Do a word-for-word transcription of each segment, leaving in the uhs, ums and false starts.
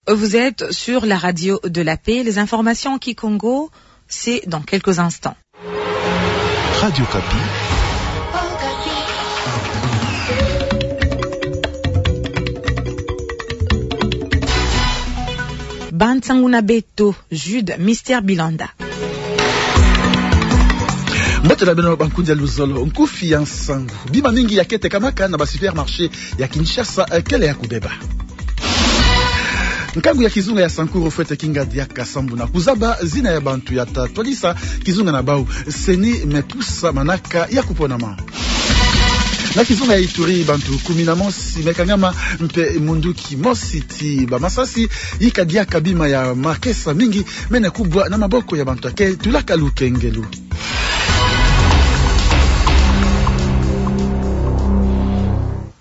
Vous êtes sur la radio de la paix. Les informations en kikongo, c'est dans quelques instants. Radio Okapi. Ba nsangu na beto, Jude Mister Bilanda. Mbote na beno, bankundi ya luzolo. Nkufi ya nsangu. Bima mingi ya ke tekamaka na ba supermarché ya Kinshasa, eh, kele ya kubeba. Nkangu ya kizunga ya Sankuru fwete kinga diaka sambu na kuzaba zina ya bantu ya ta twadisa kizunga na bau. CENI me pusa manaka ya kuponama. Na kizunga ya Ituri, bantu kumi na mosi me kangama, mpe munduki mosi ti ba masasi yika diaka bima ya makesa mingi mene kubwa na maboko ya bantu ya ke tulaka lukengelo.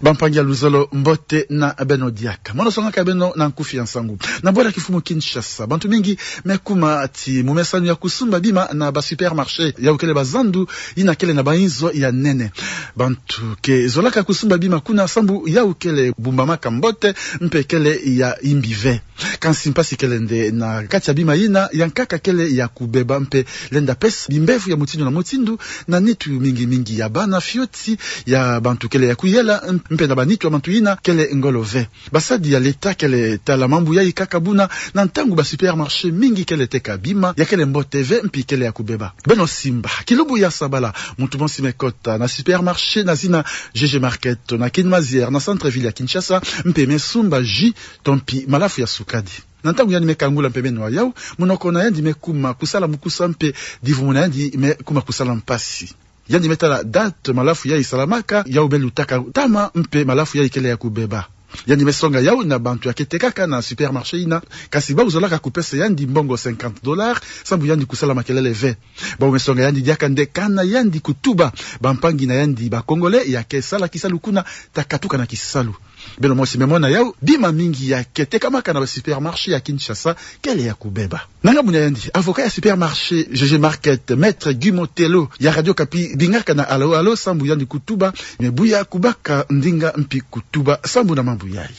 Bampangi ya luzolo, mbote na beno diaka. Mono songaka beno na nkufi ya nsangu. Na bwala kifumu Kinshasa, bantu mingi me kuma ti mumesanu ya kusumba bima na ba supermarché, yau kele ba zandu yina kele na ba inzo ya nene. Bantu ke zolaka kusumba bima kuna sambu yau kele bumbamaka mbote, mpe kele ya imbi ve. Kansi mpasi kele nde na kati ya bima yina, ya nkaka kele ya kubeba mpe lenda pesa bimbevo ya mutindu na mutindu na nitu mingi mingi ya bana fioti ya bantu kele ya kuyela, mpe na ba nitu ya bantu yina kele ngolo ve. Basadi ya leta kele tala mambu yayi kaka buna, na ntangu ba supermarché mingi kele teka bima ya kele mbote ve mpi kele ya kubeba. Beno simba, kilumbu ya sabala, muntu mosi me kota na supermarché na zina G G Market na Kin Mazière na centre-ville ya Kinshasa, mpe me sumba jus to mpi malafu ya sukadi. Na ntangu yandi me kangula mpe me nwa yau, munoko na yandi me kuma kusala mukusa mpe divumu na yandi me kuma kusala mpasi. Yandi me tala date malafu yayi salamaka, yau me lutaka ntama mpe malafu yayi kele ya kubeba. Yandi me songa yau na bantu ya ke tekaka na supermarché yina, kansi bau zolaka kupesa yandi mbongo cinquante dollars sambu yandi kusala makelele ve. Bau me songa yandi diaka nde kana yandi kutuba bampangi na yandi ba Congolais ya ke sala kisalu kuna ta katuka na kisalu. Beno mosi me mona yau, bima mingi ya ke tekamaka na ba supermarché ya Kinshasa kele ya kubeba. Na ngambu na yandi, avocat ya supermarché G G Market, Maître Guy Motelo, ya Radio Okapi bingaka na Allô Allô sambu yandi kutuba, me buya kubaka ndinga mpi kutuba sambu na mambu yayi.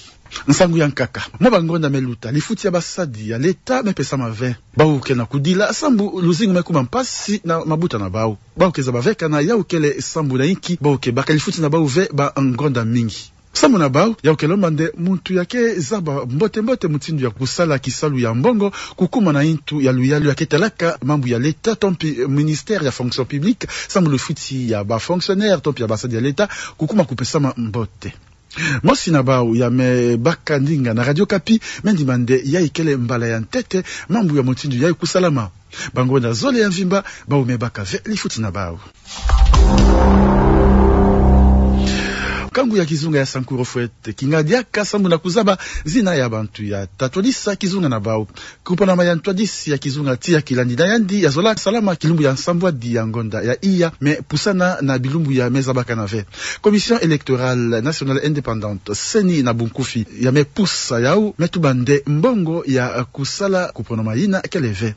Nsangu ya nkaka. Mwa bangonda me luta, lifuti ya basadi ya leta me pesama ve. Bau ke na kudila sambu luzingu me kuma mpasi na mabuta na bau. Bau ke zaba ve kana yau kele sambu na inki bau ke baka lifuti na bau ve bangonda mingi. Sambu na bau, yau ke lomba nde muntu ya ke zaba mbote mbote mutindu ya kusala kisalu ya mbongo kukuma na intu ya luyalu ya ke talaka mambu ya leta to mpi ministère ya fonction publique, sambu lifuti ya ba fonctionnaire to mpi ya basadi ya leta kukuma kupesama mbote. Mosi na bau ya me baka ndinga na Radio Okapi me ndima nde yayi kele mbala ya ntete mambu ya mutindu yayi kusalama. Bangonda zole ya mvimba, bau me baka ve lifuti na bau. Nkangu ya kizunga ya Sankuru fwete kinga diaka sambu na kuzaba zina ya bantu ya ta twadisa kizunga na bau. Kuponama ya ntwadisi ya kizunga ti ya kilandi na yandi ya zola salama kilumbu ya nsambwadi ya ngonda ya iya, me pusana na bilumbu ya me zabakana ve. Commission électorale nationale indépendante, CENI na bunkufi, ya me pusa yau, me tuba nde mbongo ya kusala kuponama yina kele ve.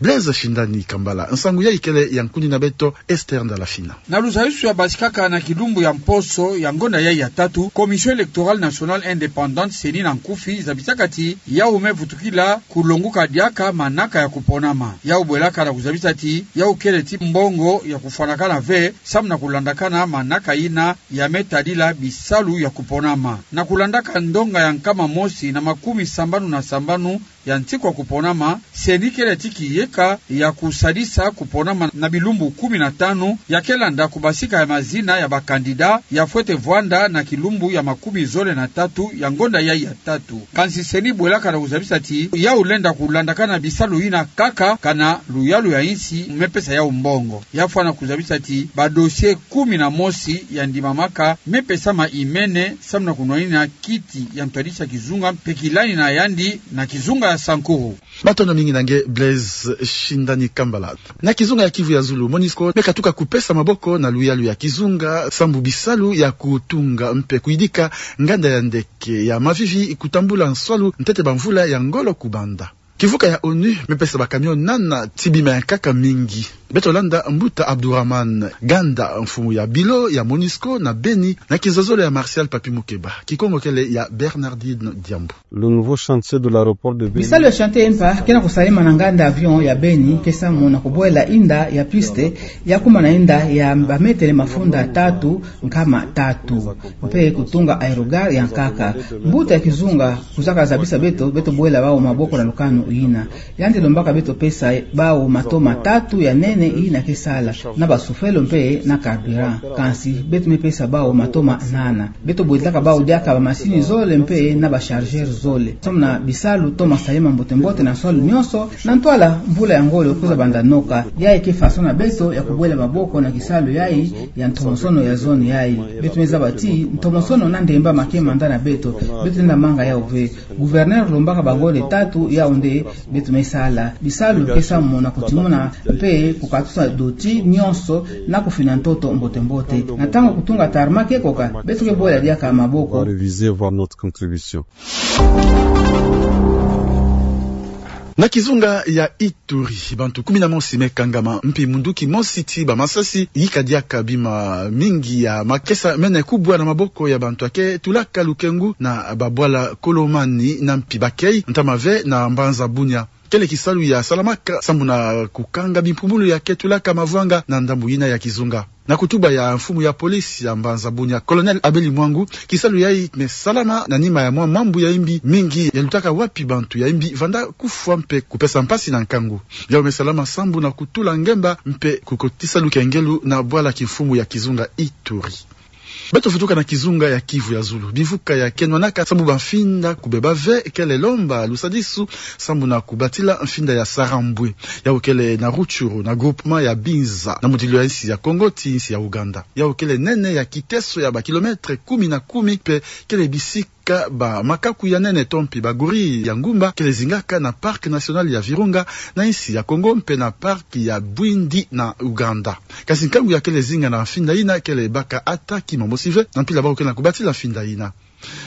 Blaise Shindani Kambala, nsangu yayi kele ya nkundi na beto Esther Ndalafina. Na luzayusu ya basikaka na kilumbu ya mposo ya ngonda yayi ya tatu, Commission électorale nationale indépendante, CENI na nkufi, zabisaka ti yau me vutukila kulonguka diaka manaka ya kuponama. Yau bwelaka na kuzabisa ti yau kele ti mbongo ya kufwanakana ve, samu na kulandakana manaka yina ya me tadila bisalu ya kuponama. Na kulandaka ndonga ya nkama mosi na makumi sambanu na sambanu ya nsiku ya kuponama, CENI kele ti kiyeka ya kusadisa kuponama na bilumbu kumi na tanu, ya ke landa kubasika ya mazina ya ba candidat ya fwete vwanda na kilumbu ya makumi zole na tatu ya ngonda yayi ya tatu. Kansi CENI bwelaka na kuzabisa ti yau lenda kulandakana bisalu yina kaka kana luyalu ya insi me pesa yau mbongo. Ya fwana kuzabisa ti ba dossier kumi na mosi ya ndimamaka me pesama imene samu na kunwanina kiti ya ntwadisi ya kizunga mpe kilani na yandi na kizunga ya Sankuru. Matondo mingi na nge Blaise Shindani Kambala. Na kizunga ya Kivu ya Zulu, MONUSCO me katuka kupesa maboko na luyalu ya kizunga sambu bisalu ya kutunga mpe kuyidika nganda ya ndeke ya Mavivi kutambula nswalu ntete bamvula ya ngolo kubanda. Kimvuka ya onu mepesa ba camion nana ti bima ya nkaka mingi. Beto landa Mbuta Abdourahmane Ganda, mfumu ya bilo ya MONUSCO na Beni, na kizololo ya Martial Papi Mukeba. Kikongo kele ya Bernardine Diambu. Le nouveau chantier de l'aéroport de Beni. Bisalu ya chantier mpa ke na kusalama na nganda avion ya Beni, ke samu na kubwela inda ya piste ya kuma na inda ya ba metele mafunda tatu nkama tatu, mpe kutunga aérogare ya nkaka. Mbuta ya kizunga kwiza kazabisa beto, beto bwela bawu maboko na lukanu yina. Yandi lombaka beto pesa bawu matoma tatu ya nene yina ke sala, na ba souffleur mpe na carburant. Kansi beto mepesa bawu matoma nana. Beto bwelaka bawu diaka ba masini zole mpe na ba chargeur zole. Samu na bisalu toma salama mbote-mbote na nswalu nyonso, na ntwala mvula ya ngolo kwiza banda noka. Yayi ke façon na beto ya kubwela maboko na kisalu yayi ya ntomosono ya zone yayi. Beto mezaba ti ntomosono na ndemba ma ke manda na beto. Beto lenda manga yawu ve. Gouverneur lombaka bangonde tatu, yawu nde beto mesala. Bisalu ke samu na kutimuna mpe kukatusa doti nyonso na kufina ntoto mbote-mbote. Na ntangu kutunga tarmac ke koka, beto ke bwela diaka maboko. On va réviser, voir notre contribution. Na kizunga ya Ituri, bantu kumi na mosi mekangama, mpi munduki mosi ti ba masasi yika diaka bima mingi ya makesa mene kubwa na maboko ya bantu ya ke tulaka lukengu na babwala Kolomani na mpi Bakei, ntama ve na mbanza Bunia. Kele kisalu ya salamaka sambu na kukanga bimpumulu ya ke tulaka mavwanga na ndambu yina ya kizunga. Na kutuba ya mfumu ya polisi ya mbanza Bunia, Colonel Abeli Mwangu, kisalu yayi me salama na nima ya mwa mambu ya imbi mingi ya lutaka wapi bantu ya imbi vanda kufwa mpe kupesa mpasi na nkangu. Yawu me salama sambu na kutula ngemba mpe kukotisa lukengelu na bwala kimfumu ya kizunga Ituri. Beto vutuka na kizunga ya Kivu ya Zulu. Bimvuka ya kenwanaka sambu ba mfinda kubeba ve kele lomba lusadisu sambu na kubatila mfinda ya Sarambwe. Yawu kele na Rutshuru, na groupement ya Binza, na mudilu ya insi ya Kongo ti insi ya Ouganda. Yawu kele nene ya kiteso ya ba kilomètre kumi na kumi, mpe kele bisika ba makaku ya nene to mpi ba gorille ya ngumba kele zingaka na Parc national ya Virunga na insi ya Kongo mpe na Parc ya Bwindi na Ouganda. Kansi nkangu ya kele zinga na mfinda yina kele baka ata kima mosi ve, na mpila bawu ke na kubatila mfinda yina.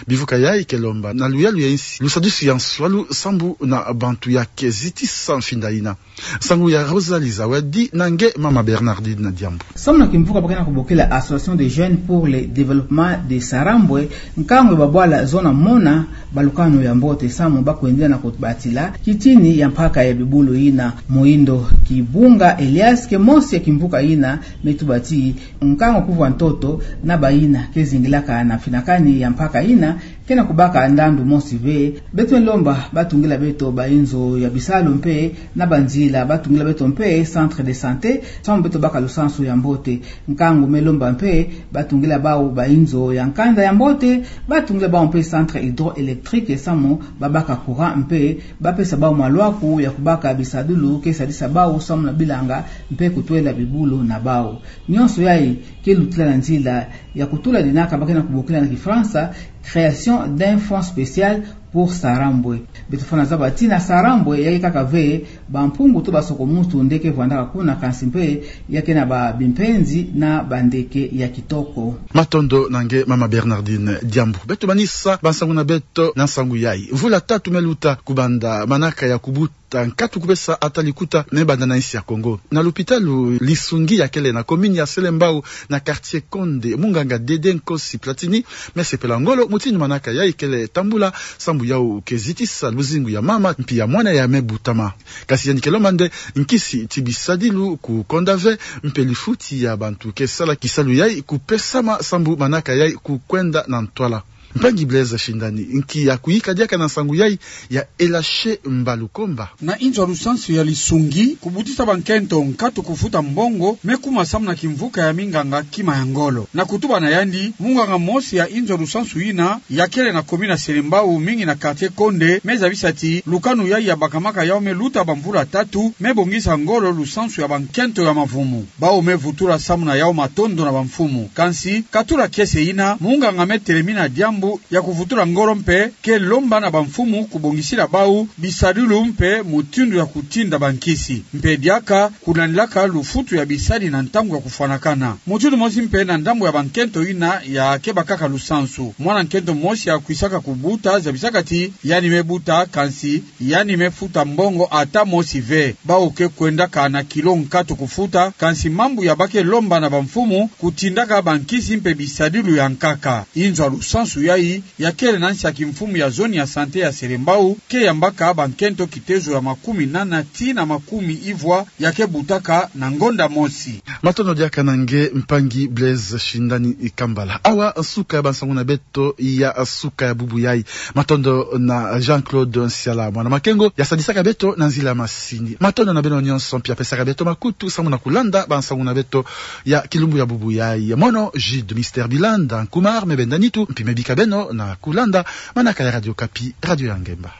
Bimvuka yayi ke lomba na luyalu ya insi lusadisu ya nswalu sambu na bantu ya ke zitisa mfinda yina. Nsangu ya Rosalie Zawadi na nge mama Bernardine Diambu. Samu na kimvuka ba ke na kubokila Association des Jeunes pour le Développement de Sarambwe, nkangu ya babwala zona mona balukanu ya mbote samu ba kwendela na kubatila kitini ya mpaka ya bibulu yina. Moyindo Kibunga Elias ke mosi ya kimvuka yina me tuba ti nkangu kuvwa ntoto na bayina ke zingilaka na mfinakani ya mpaka yina ke na kubaka ndandu mosi ve. Beto me lomba ba tungila beto ba inzo ya bisalu mpe na banzila, ba tungila beto mpe centre de santé samu beto baka lusansu ya mbote. Nkangu me lomba mpe ba tungila bawu ba inzo ya nkanda ya mbote, ba tungila bawu mpe centre hydroélectrique samu ba baka courant mpe ba pesa bawu malwaku ya kubaka bisadulu ke sadisa bawu samu na bilanga mpe kutwela bibulu na bawu. Nyonso yayi ke lutila na nzila ya kutula dinaka ba ke na kubokila na Kifalansa création d'un fonds spécial pour Sarambwe. Beto fwana zaba ti na Sarambwe ya ke kaka ve bampungu to basoko-muntu nde ke vwandaka kuna, kansi mpe ya ke na ba bimpenzi na bandeke ya kitoko. Matondo na nge mama Bernardine Diambu. Beto manisa bansangu na beto na nsangu yayi. Mvula tatu me luta kubanda manaka ya kubuta nkatu kupesa ata likuta me banda na insi ya Kongo. Na lupitalu Lisungi ya kele na commune ya Selembao na quartier Konde, munganga Dede Nkosi Platini me sepela ngolo mutindu manaka yayi kele tambula sambu yawu ke zitisa luzingu ya mama mpi ya mwana ya me butama. Kansi yandi ke lomba nde nkisi ti bisadilu kukonda ve mpe lifuti ya bantu ke sala kisalu yayi kupesama sambu manaka yayi kukwenda na ntwala. Mpangi Blaise Shindani, nki ya kuyika diaka na nsangu yayi ya Elache Mbalukomba? Na inzo ya lusansu ya Lisungi, kubutisa bankento nkatu kufuta mbongo me kuma samu na kimvuka ya minganga kima ya ngolo. Na kutuba na yandi, munganga mosi ya inzo ya lusansu yina ya kele na commune ya Selembao, mingi na quartier Konde, me zabisa ti lukanu yayi ya bakamaka yawu me luta bamvula tatu, me bongisa ngolo lusansu ya bankento ya mavumu. Bawu me vutula samu na yawu matondo na bamfumu. Kansi, katula kiese yina, munganga me telemina Diambu ya kuvutula ngolo mpe ke lomba na bamfumu kubongisila bau bisadilu mpe mutindu ya kutinda bankisi. Mpe diaka kulandilaka lufutu ya bisadi na ntangu ya kufwanakana. Mutindu mosi mpe na ndambu ya bankento ina ya kebakaka lusansu. Mwana nkento mosi akwisaka kubuta zabisaka ti yandi me buta, kansi yandi me futa mbongo ata mosi ve. Bau ke kwendaka na kilo nkatu kufuta, kansi mambu ya ba ke lomba na bamfumu kutindaka bankisi mpe bisadilu ya nkaka. Inzo ya lusansu yai ya kele na nsi ya kimfumu ya zone ya santé ya Selembao, ke yambaka bankento kitezo ya makumi nana tii na makumi ivwa ya ke butaka na ngonda mosi. Matondo diaka na nge mpangi Blaise Shindani Kambala. Awa nsuka ya bansangu na beto ya nsuka ya bubu yai. Matondo na Jean-Claude Nsiala, mwana Makengo, ya sadisaka beto na nzila ya masini. Matondo na beno nyonso mpi ya pesaka beto makutu samu na kulanda bansangu na beto ya kilumbu ya bubu yai. Mono Jude Mister Bilanda Nkumar me benda nitu, mpi me bika beno na kulanda manaka ya Radio Okapi, radio ya ngemba.